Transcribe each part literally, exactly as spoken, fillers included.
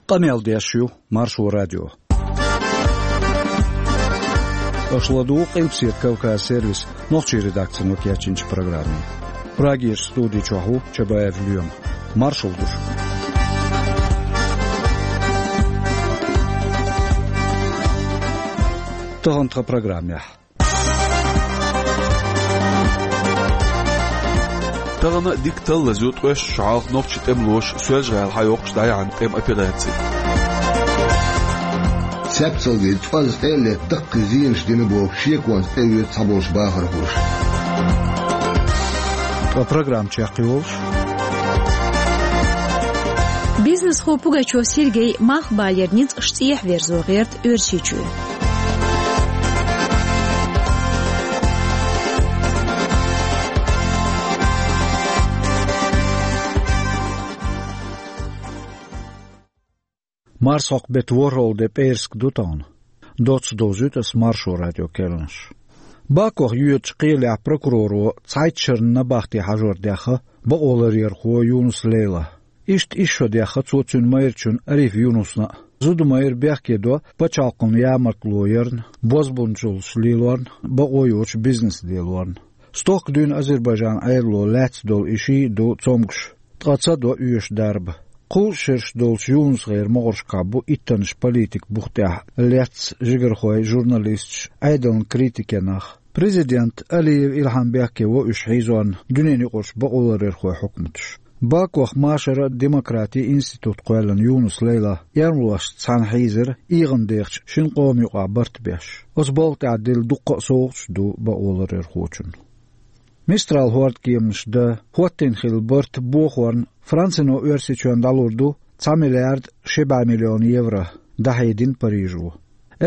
Къамел деш ю Маршо радио. Аша ладугӀу Къилбаседа Кавказ сервисан нохчийн редакцино кечйинчу программе. Прагерчу студи чохь ву Чабаев Лоьма. Маршалла ду шуьга. Тахана тхан программехь. Тахана дика таллаза ю ткъеста шо хьалха нохчийн тӀемалоша Соьлжа-ГӀала схьайоккхуш дӀаяьхьна тӀеман операци. Цецалгий цӀозза тӀе а летта даккхий зенаш дина бохуш, шеконца тӀеоьцу цхьаболчу бахархоша. Ткъа программа чекхйолуш. Бизнесхо Пугачев Сергей малхбалера ницкъаш цӀехьа верзо гӀерта Оьрсийчоь. Марсхьокху беттан ворхӀалгӀа де, пӀераска ду тахана. Доцца довзуьйту ас Маршо радион керланаш. Бакох йоьдучу кхелехь прокуроро цхьайтта шарна набахте хьажор даьхна бакъоларъярхо Юнус Лейла. Иштта исс шо даьхна цо цуьнан майрачунна Ариф Юнусна а. Зуда майра бехке до пачхьалкхана ямартло ярна, бозбуунчаллаш лелорна, бакъо йоцуш бизнес делорна. Стохка дуьйна Азербайджанан Ӏедало лаьцна долу и шиъ а ду цомгуш, ткъа ца до оьшу дарба. Кхузткъа шераш долчу Юнусгара могӀаршкахь бу иттаннаш политикан бух тӀехь лецна жигархой, журналисташ, Ӏедалан критикийн нах. Президент Алиев Илхьам бехке во уьш хьийзорна дуьненан юкъарчу бакъоларъярхойн хьукматаш. Бакох машаран а, демократин а институт кхоьллина Юнус Лейла эрмалошца цхьаьна хьийзира ийгӀан дехачу шина къоман юкъахь барт беш. Оцу балха тӀехь дилла дуккха а совгӀаташ ду бакъоларъярхочунна. Мистрал хӀордкеманаш дан хӀоттийна хилла барт бохорна Францино Оьрсийчоьнна дӀалур ду цхьа миллиард ши бӀе миллион евро, дӀахьедина Парижо.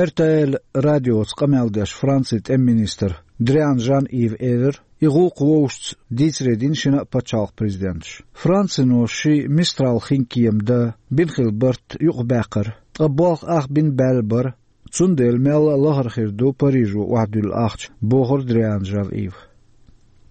Р Т Л радиоца къамел деш Францин тӀеман министра Дриан Жан-Ива элира, и гӀуллакх вовшашца дийцаре дина шина а пачхьалкхан президенташа. Францино ши Мистрал хинкема дан бина хилла барт юкъабаьккхира, ткъа болх ах бина баьлла бара, цундела мелла а лахара хир ду Парижо охьадуьллу ахча, бохура Дриан Жан-Ива.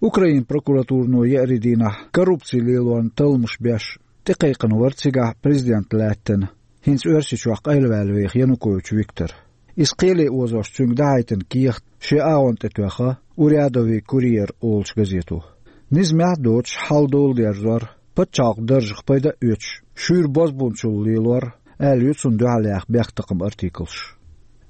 Украинан прокуратурано еарин дийнахь коррупци лелорна талламаш беш тӀекхайкхина вара цигахь президент лаьттина, хӀинца Оьрсийчохь къайлаваьлла веха Янукович Виктор. Иза кхеле озош цуьнга дӀахьайтина кехат шен агӀонна тӀе тоьхна «Урядовый курьер» олучу газето. Низамехь а доцуш хьал доладерзор, пачхьалкхан даржах пайда а оьцуш, шуьйра бозбуунчалла лелор аьлла ю цунна дуьхьал яьхна бехктакхаман артиклаш.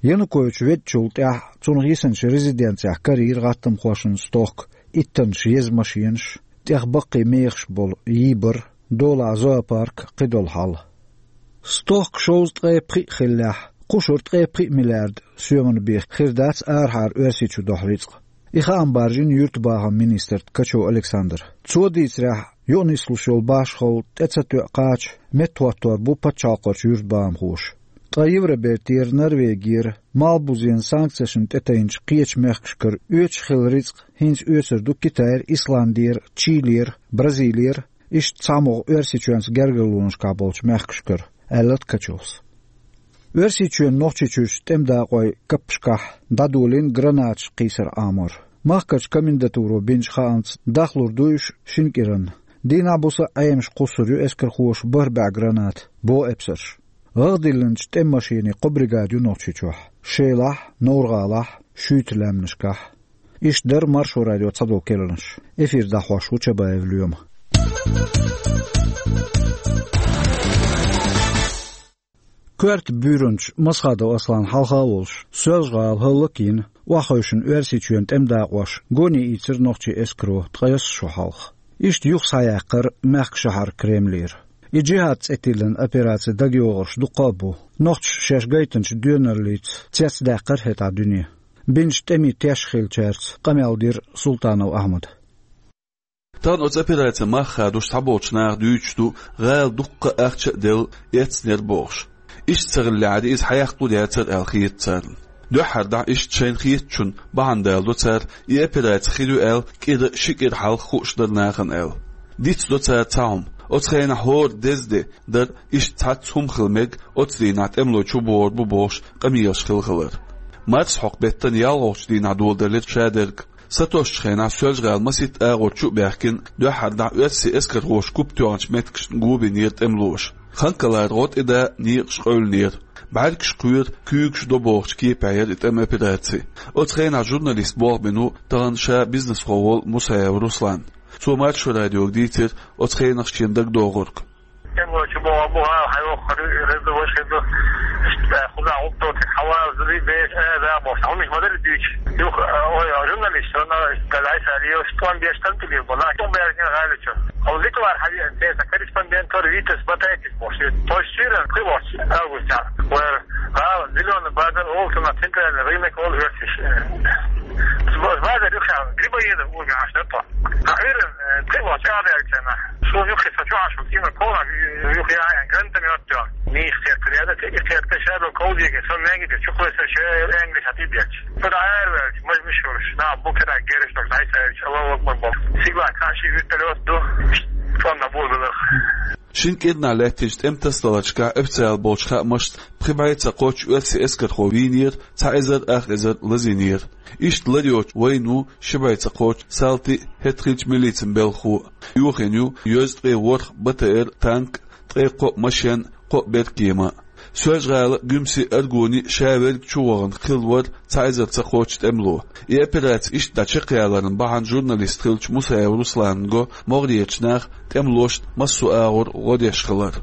Янукович веддачул тӀаьхьа цунах йисинчу резиденцехь карийра гӀаттамхошна стохка иттаннаш еза машенаш, тӀех баккхий мехаш болу йийбар, долахь зоопарк, кхидолу хьал. Стохка шовзткъе пхиъ хиллехь, кхушара ткъе пхиъ миллиард соьман бен хир дац арахьара Оьрсийчу дохьу рицкъ. И хаам баржийна юьртабахаман министрна Ткачев Александра. Цо дийцарехь, юкъанислуш йолу башхалла тӀе ца тоьа кхача меттахӀоттор бу пачхьалкхарчу юьртабахамхоша. Ткъа Евробертера, Норвегера малхбузенан санкцешна тӀетайначу кхечу мехкашкара оьцуш хилла рицкъ хӀинца оьцур ду Китайра, Исландера, Чилера, Бразилера, иштта цхьамогӀа Оьрсийчоьнца гергарлонашкахь болчу мехкашкара, аьлла Ткачевс. Оьрсийчоьнан Нохчийчуьрчу тӀеман дакъойн каппашкахь дӀадолийна гранаташ кхийсар Ӏамор. Махкарчу комендатуро бинчу хаамца, дахлур ду уьш шина кӀиранна. Дийнахь-буса Ӏемаш кхуссур ю эскархоша бархӀ бӀе граната, боху эпсарша. ГӀагӀ диллинчу тӀеман машенийн кхо бригада ю Нохчийчохь: Шелахь, Новр-ГӀалахь, Шуьйта лаьмнашкахь. Иштта дара Маршо радион цхьадолу керланаш. Эфир дӀахьош ву Чабаев Лоьма. Коьрта буьйранчу Масхадов Асланна хьалха а волуш, Соьлжа-ГӀала хӀаллакйина, охьахевшина Оьрсийчоьнан тӀеман дакъош гоне ийцира нохчийн эскаро ткъайесна шо хьалха. Иштта юха схьаяьккхира мехкан шахьар Кремлера. И «Джихад» цӀе тиллина операци дагайогӀурш дуккха а бу. Нохчаша шаьш гайтинчу доьналлица цецдаьккхира хӀетахь дуьне. Бинчу тӀемийн теш хиллачаьрца къамел дира Султанов Ахьмада. Тахана оцу операцин мах хадош цхьаболчу наха дуьйцуш ду, гӀала дуккха а ахча а делла, эцнера бохуш. Иштта ца хиллехьара, иза хьаяккха а дацара аьлла хета царна. Дуьххьара дӀа иштта шайна хетачунна бахьана даладо цара, и операци хир ю аьлла, кӀира, ши кӀира хьалха хууш дара нахана аьлла. Дицдо цара цхьа хӀума. Оцу хенахь хӀора деза де дара, иштта цхьацца хӀума хила мега, оцу дийнахь тӀемалой чубогӀур бу бохуш къамелаш хилла хилар. Марсхьокху беттан ялхолгӀачу дийнахь доладелира шадерг. Сатоссучу хенахь Соьлжа-ГӀала масийтта агӀор чу а баьхкина, дуьххьара дӀа оьрсийн эскархоша куп тоьхначу меттигашна го бинера тӀемалоша. Ханкалара гӀо тӀе да, некъаш къевлинера. БӀаргаш кхоьру, куьйгаш до бохучу кепехь яра и тӀеман операци. Оцу хенахь журналист болх бина ву тахана ша бизнесхо волу Мусаев Руслан. Цо Маршо радиога дийцира оцу хенахь шена дагадогӀург. ТӀемалой чу боху, бу гӀала хьайоккхур ю, и хир ду, важа хир ду. Иштта кхузахь гӀуллакх доцург хьавалаза ду, беш, э, да, боху. Хьуна ма-дарра дуьйцу. Юха, э, ой, журналист, сон, э, Галайса Алиев, тӀом беш, тӀом тилийр бу, нах тӀом баьржина гӀала чу. Хьуна Литвара хьан веана, те, сан корреспондент вара Витас Батайкис боху. Тхойш сиран, кхин боху, августехь. Вара гӀала, Зелёный базар, олу цунах центральный рынок, олу оьрсаша. Базар юххехь, Грибоедов угӀаш дар тхо. Ахиран, э, тхе вахча а даьлла царна. Суна юххе со чохь шу, кина кхола, юххе а гранатомёт тё. Нийса кхетта ряда, те и кхетта шадо ковдиге, со мегиде, чухлеса ше энгли хати беч. Пора арвелч, маж мишурш, на букера гереш, так дай саевич, Аллаху Акбар бо. Сигла каши вертолёт ду, тонна булдулах. Шин кӀирнахь лаьттинчу тӀемтасадаларшкахь официал болчу хаамашца пхи бӀе ца кхоччу оьрсийн эскархо вийнера, цхьа эзар ах эзар лазийнера. Иштта лар йоцу вайна ву ши бӀе ца кхоччу салтий, хӀетахь хиллачу милицин белхахо. Йохийна ю йозткъе ворхӀ Б Т Р танк, ткъе кхоъ машен, кхоъ беркема. Соьлжа-ГӀала, Гуьмси, Аргуни, ша верг чу вахана хилла вара цхьа эзар ца кхоччу тӀемало. И операци иштта дӀа чекхъяларна бахьана журналист хиллачу Мусаев Руслана го могӀарерчу наха тӀемалошна массо а агӀор гӀо деш хилар.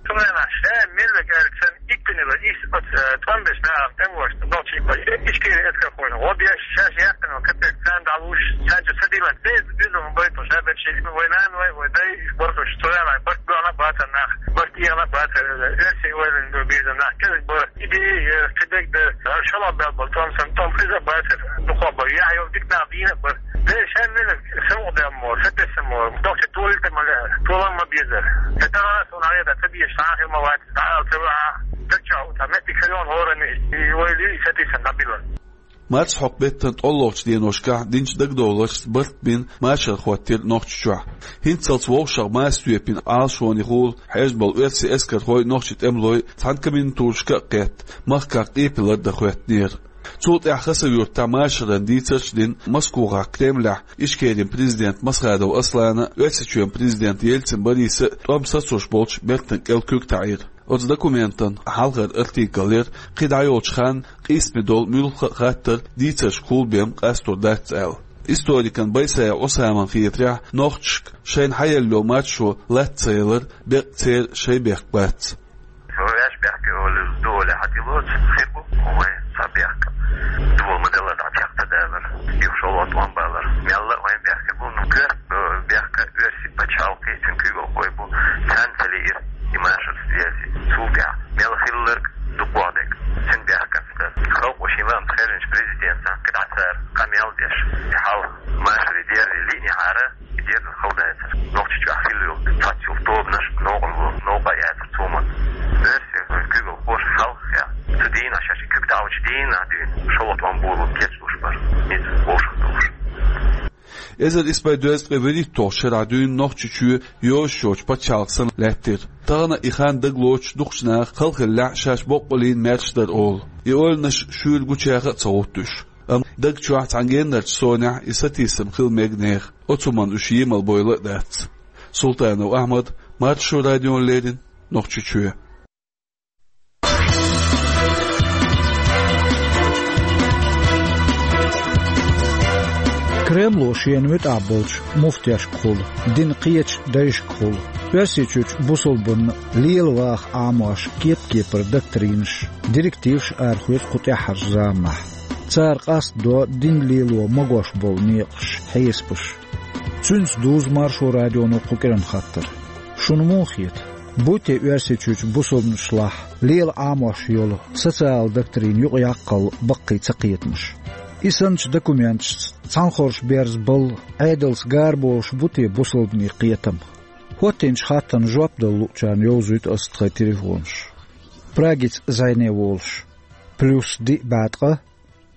Цундела ша мелла гӀерташ санна, иккхинера иза оцу, э, тӀом беш нахана тӀемалошна нохчий бай. Ишкери эскархойна гӀо деш, шаьш яьккхина капек царна дӀалуш, царна чу ца диллина. Беза, беза вайн байтал ша берш, вай нана, вай, вай дай, бархаш, цундела барт бана бацар нах, барт ехна бацар, оьрсийн ойланна бирзина нах, кхидӀа бара. Идея, кхидӀа дара, шала бел бал, тӀом сан, тӀом хеза бацар, дукха бара, яхь йолу дика нах дийна бара. Де шаьллина, сан у дам мо, сан тесса мо, дохча толита ма ле, толам ма беза. Де тагана сон хьаеда, ца беш, сан хир ма вац, дӀа ал ца ва, дача, та метти калон гӀорани, и вай ли, и сатисан дабила. Марсхьокху беттан тӀоллогӀчу деношкахь динчу дагадовларшца барт бина машар хӀоттийра Нохчийчохь. ХӀинццалц вовшах маса тоьпина Ӏалашонехула хьежна болу оьрсийн эскархой, нохчийн тӀемалой цхьана комендатурашка а кхетта, махках къепалар дан хӀоьттинера. Цул тӀаьхьа Хасавюртахь машаран дийцарш а дина Москвахь, Кремлехь Ичкерин президент Масхадов Аслана, Оьрсийчоьнан президент Ельцин Бориса а тӀом сацош болчу бертан кӀел куьг таӀийра. Оцу документан хьалхара артикл яра, кхин дӀайолчу ханна къийсаме долу муьлхха а хаттар дийцаршкахула бен къастор дац аьлла. Историкан Байсаев Ӏусаман хетарехь, нохчашка шайна хьаелла йолу маршо лаца ца ялар беккъа церан шайн бехк бац. Ваьш бехке олу, ду оле хьатилоцу, хир бу, вай ца бехка. Дула ма делла, дӀа чекх ца далар, юха шолгӀа тӀом балар. Мелла а вайн бехке бу, ну, коьрта бехка оьрсийн пачхьалкхе, цуьнан куьйгалхой бу, царна ца лиира и машар связи. Цул тӀаьхьа мел хилларг дукха дерг, цуьнан бехканца дара. Халкъо шен лаам ца хезначу президента кхидӀа цара къамел деш, и хьал машаре дерри лиънехьара, и дерза халдайцара. Нохчийчохь хилла йолу цхьацца йолу тобанаш новкъарло, новкъа а яцара цо ма. Оьрсийн куьйгалхоша хьалха, цу дийнахь шаьш куьг таӀочу дийнахь дуьйна, шолгӀа тӀом болу кечдуш бара, ницкъ вовшах долуш. Эзар исс бӀе дезткъе вуьрхӀитталгӀачу шарахь дуьйна Нохчийчоь йозуш йоцчу пачхьалкх санна лаьттира. Тахана и хан дагалоцуш дукхачу наха халахиллехь шаьш боккъаллин маьрша дара олу. И ойланаш шуьйра гучаха а ца гӀутту уьш. Амма даг чохь цхьана геннарчу сонехь и сатийсам хила мега нехан. Оцу хӀуманна уьш емал бойла а дац. Султанов Ахьмад, Маршо радиона леррина, Нохчийчоь. Кремло шена муьтӀахь болчу муфтешкахула, динан кхечу дайшкахула, Оьрсийчуьрчу бусалбанна лела ваха Ӏамош кеп-кепара доктринаш, директиваш арахоьцу кху тӀаьххьарчу заманахь. Цара къастадо дин лело магош болу некъаш, хьесапаш. Цуьнца дузу Маршо радионо кху кӀиран хаттар. Шуна муха хета? Бу те Оьрсийчуьрчу бусалбанашлахь лела Ӏамош йолу социал доктрин юкъаяккхал баккхий цакхетамаш? И санначу документашца цхьанхорш берза балла, Ӏедалца гараболуш бу те бусалбанийн кхетам? ХӀоттинчу хаттарна жоп дала луучарна йовзуьйту аса тхайн телефонаш. Прагица зӀене волуш: плюс диъ бӀе ткъа,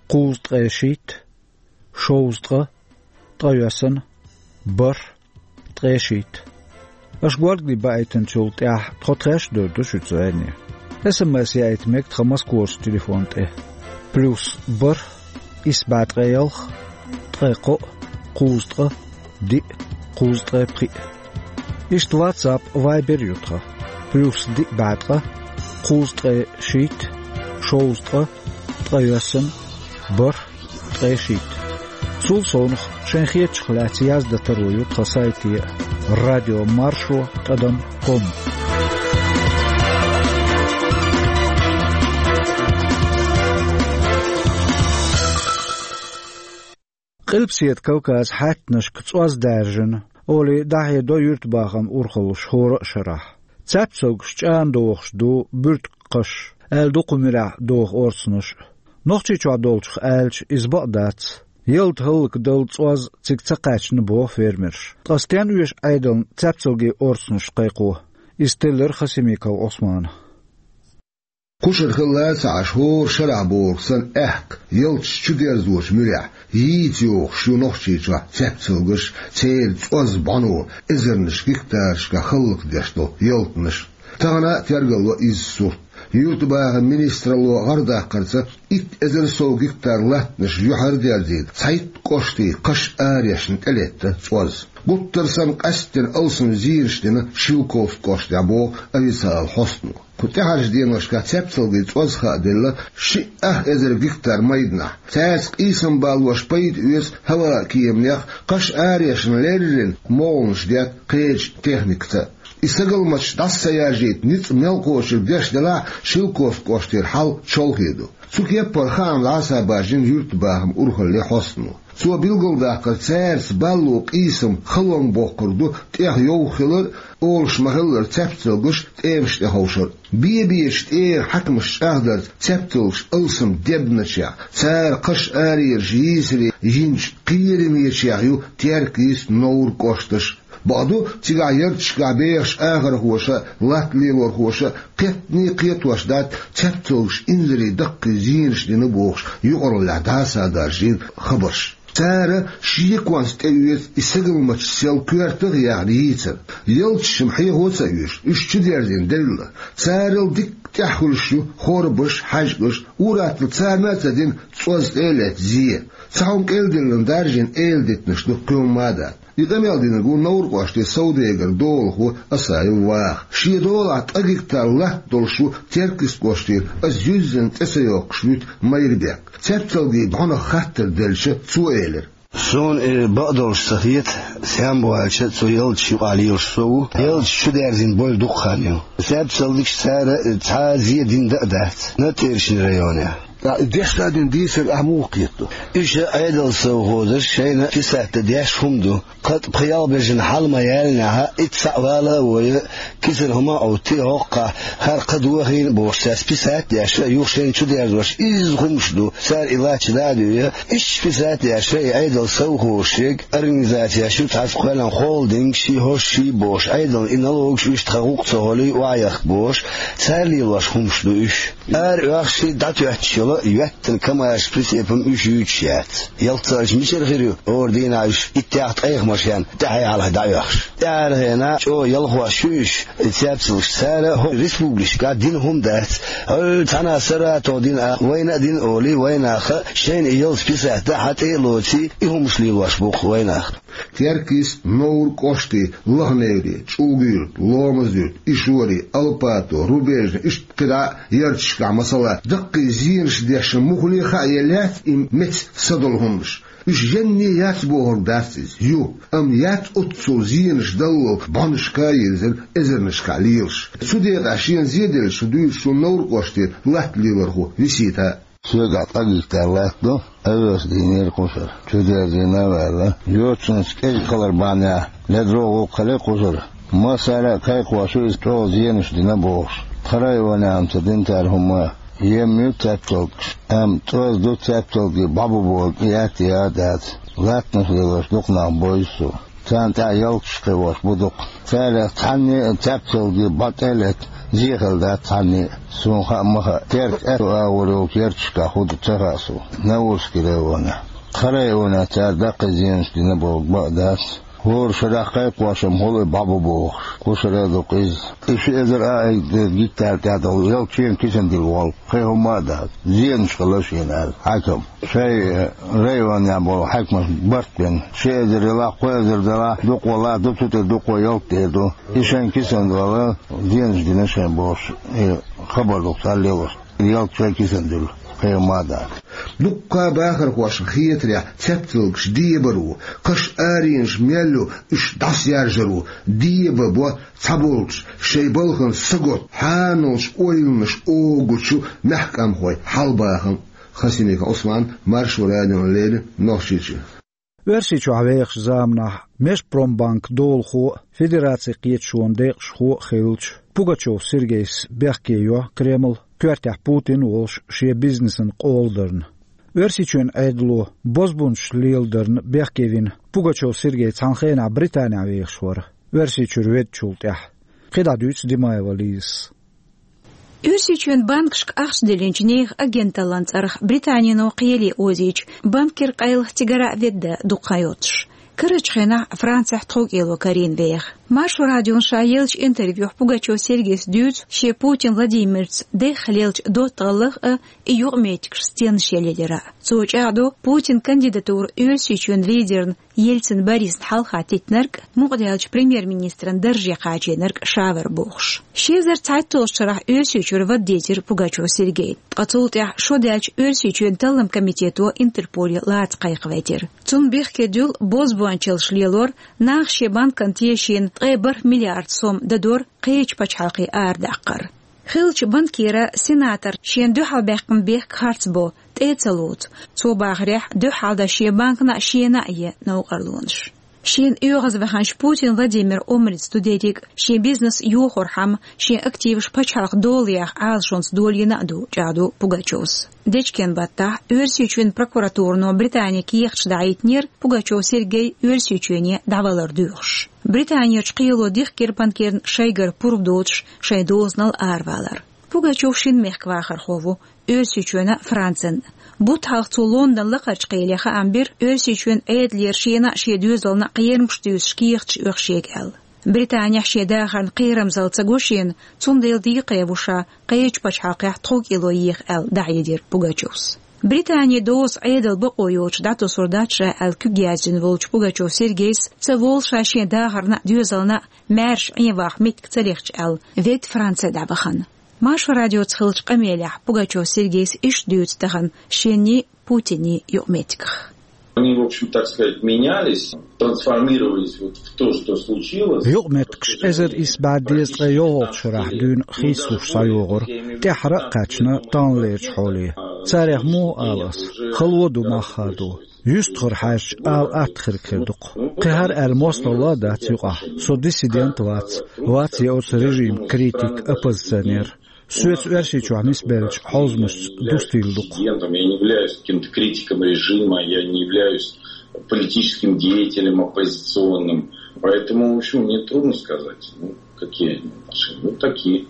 кхузткъе шийтта, шовзткъа, ткъайоьсна, бархӀ, ткъе шийтта. Аша горгали баийтинчул тӀаьхьа тхо тхаьш а дойр ду шуьца зӀене. СМС яийта мега тхан Москварчу телефон тӀе: плюс бархӀ, исс бӀе ткъе ялх, ткъе кхоъ, кхузткъа, диъ, кхузткъе пхиъ. Иштта WhatsApp, Viber ю тхан. Кхуьйсу диъ бӀе ткъа, кхузткъе шийтта, шовзткъа, ткъайоьсна, бархӀ, ткъе шийтта. Цул совнах шайн хетачух лаьцна яздан таро ю тхан сайте радиомаршо тӀадам ком. Къилбаседа Кавказан хьаьттанашка цӀоз даьржина, олий дӀахьедо юьртабахаман урхаллаш хӀора а шарахь. Цаьпцалгаш чӀана дохуш ду буьртиган кхаш, аьлла ду кху муьрехь доху орцанаш а. Нохчийчохь долчух аьлча, иза бакъ дац. Ялта хӀаллакдала цӀоз цига ца кхаьчна боху фермерша. Ткъа стенна оьшу Ӏедална цаьпцалгийн орцанаш кхайкхо? Иза теллира Хасимиков Ӏусмана. Кхушара хилла а ца Ӏаш, хӀора шарахь бохург санна, аьхка ялташ чудерзочу муьрехь йийца йогӀуш ю Нохчийчохь цаьпцалгаш, церан цӀоз бӀано, эзарнаш гектарашкахь хӀаллакдеш долу ялтанаш. Тахана а тергалло изза сурт. Юьртабахаман министралло гӀардаккхарца итт эзар сов гектар латтанаш юьхьар а дерзийна, цхьайтта кӀоштий кхаш арайешна тӀелетта цӀоз. Гуттар санна, къаьсттина алсам зенаш дина Шелковски кӀоштехь, боху официалан хьостано. Кху тӀаьхьарчу деношкахь цаьпцалгийн цӀоз хааделла шиъ ах эзар гектар майданахь. Цаьрца къийсам балош пайда оьцу хӀаваан кеманех, кхаш арайешна леррина могӀанаш детта кхечу техникаца. И сагалматаш дӀаса ца яржийта ницкъ мел кхочург деш делахь а, Шелковски кӀоштера хьал чолхе ду. Цу кеппара хаам дӀасабаржийна юьртабахаман урхаллин хьостано. Цо билгалдаккхар, цаьрца балло къийсам халонга боккхург ду тӀех йовха хилар а, олуш ма-хиллара, цаьпцалгаш тӀемаш тӀе ховшар а. Бе-бечу тӀера хьаькамаш чӀагӀдарца, цаьпцалгаш алсам дебначех, цара кхаш арайераш йийсаре йинчу кхерамечех ю Теркйист, Новр кӀошташ. Бакъду, цигахь ярташкахь бехачу ахархоша а, латта лелорхоша а кхеттане а кхетош дац цаьпцалгаш инзаре даккхий зенаш дина бохуш юкъараллехь дӀасадаржийна хабарш. Цара шеконца тӀеоьцу и сагалматаш сел коьртах а яьхна йийцар. Ялташ-м хьехо а ца оьшу, уьш чудерзийна делла. Царал дикка тӀаьхьа хуьлуш ю хорбаш, хьаьжкӀаш, ур-атталла царна а ца дина цӀоз тӀе а летта зе. Цхьа хӀума кӀел диллина даржийна эладитанаш ду кхин хӀумма а дац. И къамел динарг ву Новр кӀоштан совдегар, долахо Асаев Ваха. Шен долахь ткъа гектар латта долуш ву Теркйист кӀоштера, аса юьззина цӀе ца йоккхуш вуьту Майрбек. Цаьпцалгийн бӀанах хаттар делча, цо элира: «Суна и бакъдолуш ца хета, сенна бу аьлча, цу ялташ юкъахь лелаш со ву. Ялташ чудерзийна бойла дукха хан ю. Цаьпцалгаш цара цхьа а зе дина дан а дац Натӏерчни районехь». ТӀаккха и дешна дина дийцар ахь муха кхетадо? Уьш Ӏедалан совхозаша шайна писать дан деш хӀума ду. Кхин а пхи-ялх бежана хьала ма яьллинехь, итт схьа а вала а вой, кисана хӀума а Ӏуттий, хӀокхахь хӀара кхаъ дохийна бохуш, цаьрца писать а деш, юха шайна чудерзош изза хӀумаш ду, цара и латташ дӀа а дуьй, иштта писать а деш, и Ӏедалан совхозаш ерг, организацеш ю цхьацца кхоьллина холдинг, ши хӀорш ши бохуш, Ӏедална и налогаш уьш тхан гӀуллакх ца хуьлий охьаехка бохуш, цара лелош хӀумаш ду уьш. Ара оьхуш, дӀатоьттуш йолу йоьттина КамАЗ прицепам уьш юьйцуш яц. Ялх ца аьлча, мичара хир ю хӀора дийнахь уьш иттех-ткъех машен тӀаьхьа-хьалха дӀаоьхуш? ТӀаьхьархьенахь чӀогӀа ялхош ю уьш, и цаьпцалгаш, цара хӀокху республикашкахь дина хӀума дац. ХӀара цхьана Саратовна дина а, вайна а дина олий, вайнаха шайна и ялх писать дан хьан тӀе а лоций, и хӀумаш лелош бу-кх вайнах. Теркйист, Новр кӀоштий, Лаха-Неври, ЧӀулга-Юьрт, Ломаз-Юьрт, Ишори, Алпато, Рубежни, иштта кхидӀа а ярташкахь, масала, даккхий зенаш дешна муххале а хаа елла яц и меца са долу хӀуманаш. Уьш енний яц бохург дац иза, ю, амма яц оццул зенаш даллал бӀанашка а йирзина эзарнашкахь лелаш. Цу декъехь шена зеделлачух дуьйцуш ву Новр кӀоштера латта лелорхо Висита. Соьгахь ткъа гектар латта ду, овес дийнера кхушара. Чудерзийна а ваьлла, йоццунца кӀезиг хилар бахьанехь, ледара гӀуллакх хилла кхушара. Массара а кхайкхош ю иза чӀогӀа зенаш дина бохуш. Тхан районехь-м ца дина цара хӀумма а. Емма ю цаьпцалгаш, амма цӀоз ду цаьпцалгий бӀо бу бохург яц а, яа а дац. Латтанаш лелош дукха нах бойзу суна. Царна тӀехь ялташ кхиош бу дукха. Царах цхьанне а цаьпцалгий бӀо тӀе а летта зе хилла дац цхьанне а. Суна хаа ма хаьа, Теркйист агӀор йолчу ярташкахь хӀун ду ца хаьа суна, Наурский районехь. Тхан районехь цара даккхий зенаш дина бохург бакъ дац. ХӀора шарахь кхайкхош-м хьулъе бӀо бу бохуш, кху шарахь ду-кх иза. И ши эзар а айда гектар тӀехь долу ялх чен кисана дилла волу, кхин хӀумма а дац, зенаш хилла шена аьлла хьаькам. Шайн районехь болу хьаькамаш барт бина, ши эзар ялахь, кхо эзар далахь, дукха валахь, ду цу тӀе дукха ялх тӀе ду. И шайн кисана долу зенаш дина шайн бохуш, и хабар ду-кх цара лелош. Ялх чай кисан дуьллу, кхин ма дац. Дуккха бахархошна хетарехь, цецвалгаш дебар ву, кхаш аренаш мел ю, уьш дӀасаяржар ву, деба бо цхьаболчу шайн балхана сагот, хьаналш ойланаш огучу мехкамхой хьалбахам. Хасимиков Ӏусман, Маршо радиона леррина, Нохчийчоь. Оьрсийчохь вехачу заманахь Межпромбанк долахо а, Федерацин кхеташонан декъашхо а хиллачу Пугачёв Сергейс бехке йо Кремль, коьртехь Путин а волуш, шен бизнесан къола дарна. Оьрсийчоьнан Ӏедало бозбунчаш леладарна бехке вина Пугачёв Сергей цхьана хенахь Британехь вехаш вара, Оьрсийчуьра веддачул тӀаьхьа. КхидӀа дуьйцу Димаева Лизас. Оьрсийчоьнан банкашка ахча диллинчу нехан агенталлин цӀарах Британино кхеле озийча, банкера къайлаха цигара а ведда дукха хан йоцуш. Карарчу хенахь Францехь тховкӀело карийна веха. Маршо радиона ша еллачу интервьюхь Пугачёв Сергейс дуьйцу шен Путин Владимирца дехха леллачу доттагӀаллах а, и юкъаметтигаш стенна шелъелира. Цо чӀагӀдо Путин кандидатура Оьрсийчоьнан лидерна Ельцин Борисна хьалха теттинарг, мукъадаьллачу премьер-министран дарже кхачийнарг ша вара бохуш. Ши эзар цхьайтталгӀачу шарахь Оьрсийчуьра вада дезира Пугачёв Сергей. Ткъа цул тӀаьхьа шо даьлча Оьрсийчоьнан таллам комитето Интерполе лаца кхайкхавайтира. Цунна бехке дуьллу бозбуанчаллаш лелор, наха шен банкана тешийна ткъе бархӀ миллиард сом дадор кхечу пачхьалкхе арадаккхар. Хиллачу банкера сенатор шена дуьхьалбаьккхина бехк харц бо, тӀе а ца лоцу. Цо бахарехь, дуьххьалдан шен банкана а, шена а е новкъарлонаш. Шена оьгӀазваханчу Путин Владимиран омрица ду дерриг а, шен бизнес йохорхьама, шен активаш пачхьалкхан долаех Ӏалашонца долийна а ду, чӀагӀдо Пугачёвс. Дечкен баттахь Оьрсийчоьнан прокуратуро Британе кехаташ дӀахӀиттинера Пугачёв Сергей Оьрсийчоьне дӀавалар доьхуш. Британерчу кхело дихкира банкерна шайгара пурба доцуш шайн дозанал аравалар. Пугачёв шина мехкан вахархо ву, Оьрсийчоьнан а, Францин а. Бутт хьалха цо Лондон лакхарчу кхеле хаам бира Оьрсийчоьнан Ӏедалера шена а, шен доьзална а кхерамаш туьйсуш кехаташ оьху шега аьлла. Британехь шен дахарна кхерамзалла ца го шена, цундела декхарийна ву ша кхечу пачхьалкхехь тховкӀело еха аьлла, дӀахьедира Пугачёвс. Британин доза Ӏедалан бакъо йоцуш дӀатосур дац ша аьлла куьг яздина волчу Пугачёв Сергейс ца волу ша шен дахарна а, доьзална а маьрша Ӏен ваха меттиг ца лехча аьлла, ведда Франце дӀавахана. Маршо радиоца хиллачу къамелехь Пугачёв Сергейс иштта дуьйцу тахана шенний, Путинний юкъаметтигах. Они, в общем, так сказать, менялись, трансформировались вот в то, что случилось. Юкъаметтигаш эзар исс бӀе дезткъе йолхалгӀачу шарахь дуьйна хийцалуш схьайогӀура, тӀаьххьара а кхаьчна таханлерчу хьоле. Царех муха ала ас, хало ду, мах хадо. Юьстахара хьаьжча, ала атта хир хир ду-кх. Кхин хӀара аьлла мостагӀалла а дац юкъахь. Со диссидент вац, вац я оцу режиман критик, оппозиционер. Соьца Оьрсийчохь нисбеллачу хьовзамашца дустийла ду-кх. Диссидентом я не являюсь, каким-то критиком режима, я не являюсь политическим деятелем оппозиционным. Поэтому, в общем, мне трудно сказать, ну, какие они отношения. Ну, такие.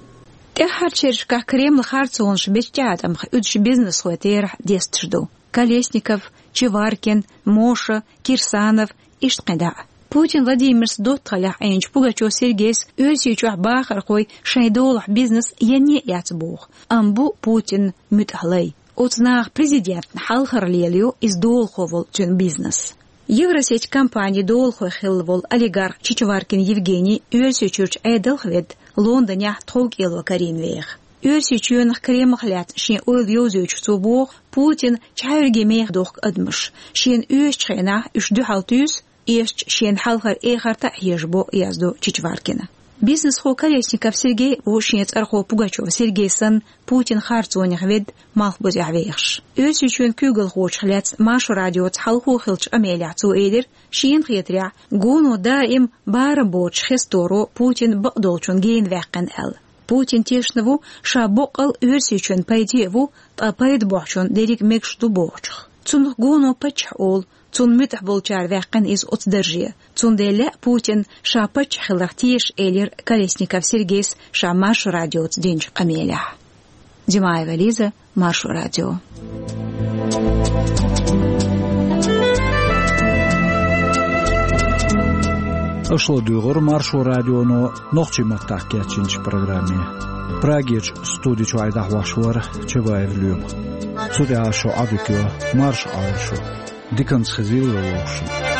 ТӀаьххьарчу шерашкахь Кремлан харцонаш бечу тӀеӀаткъамах уьдуш бизнесхой терахь десташ ду. Колесников, Чеваркин, Моша, Кирсанов, иштта кхин дӀа а. Путин Владимирца доттагӀаллехь Ӏийначу Пугачёв Сергейс Оьрсийчохь бахархой шайн долахь бизнес енне а яц боху, амма бу Путинан муьтӀахь лай. Оцу наха президентна хьалхара лелайо иза долахо волу цуьнан бизнес. Евросеть компанин долахой хилла волу олигарх Чичваркин Евгений Оьрсийчуьрчу Ӏедалх ведда Лондонехь тховкӀело карийна веха. Оьрсийчоьнах, Кремлах лаьцна шен ойла йовзуьйтуш цо боху, Путин чхьаьвриге меха дохку адамаш, шена оьшучу хенахь уьш дуьхьал туьйсу, эшча шена хьалхара эхарта а хьежабо, яздо Чичваркина. Бизнесхо Колесников Сергей а ву шен цӀархо Пугачёв Сергей санна Путинан харцонех ведда, малхбузехь вехаш. Оьрсийчоьнан куьйгалхочух лаьцна Маршо радиоца хьалхо хиллачу къамелехь цо элира, шена хетарехь, гоно даим барам боцуш хесторо Путин бакъдолчунна гена ваьккхина аьлла. Путин тешна ву, ша боккъал Оьрсийчоьнан пайде а ву, ткъа пайда бохьучунна дерриг а мегаш ду бохучух. Цунах гоно паччахь олу, цунна муьтӀахь болчара ваьккхина иза оцу дарже. Цундела лаьа Путинна ша паччахь хиларх теша, элира Колесников Сергейс ша Маршо радиоца динчу къамелехь. Димаева Лиза, Маршо радио. Аша ладугӀура Маршо радионо нохчийн маттахь кечйинчу программе. Прагерчу студи чуьра дӀахьош вара Чабаев Лоьма. Цу тӀехь шун Ӏадика йо марша Ӏойла шу. Диканца хезийла вовшашна.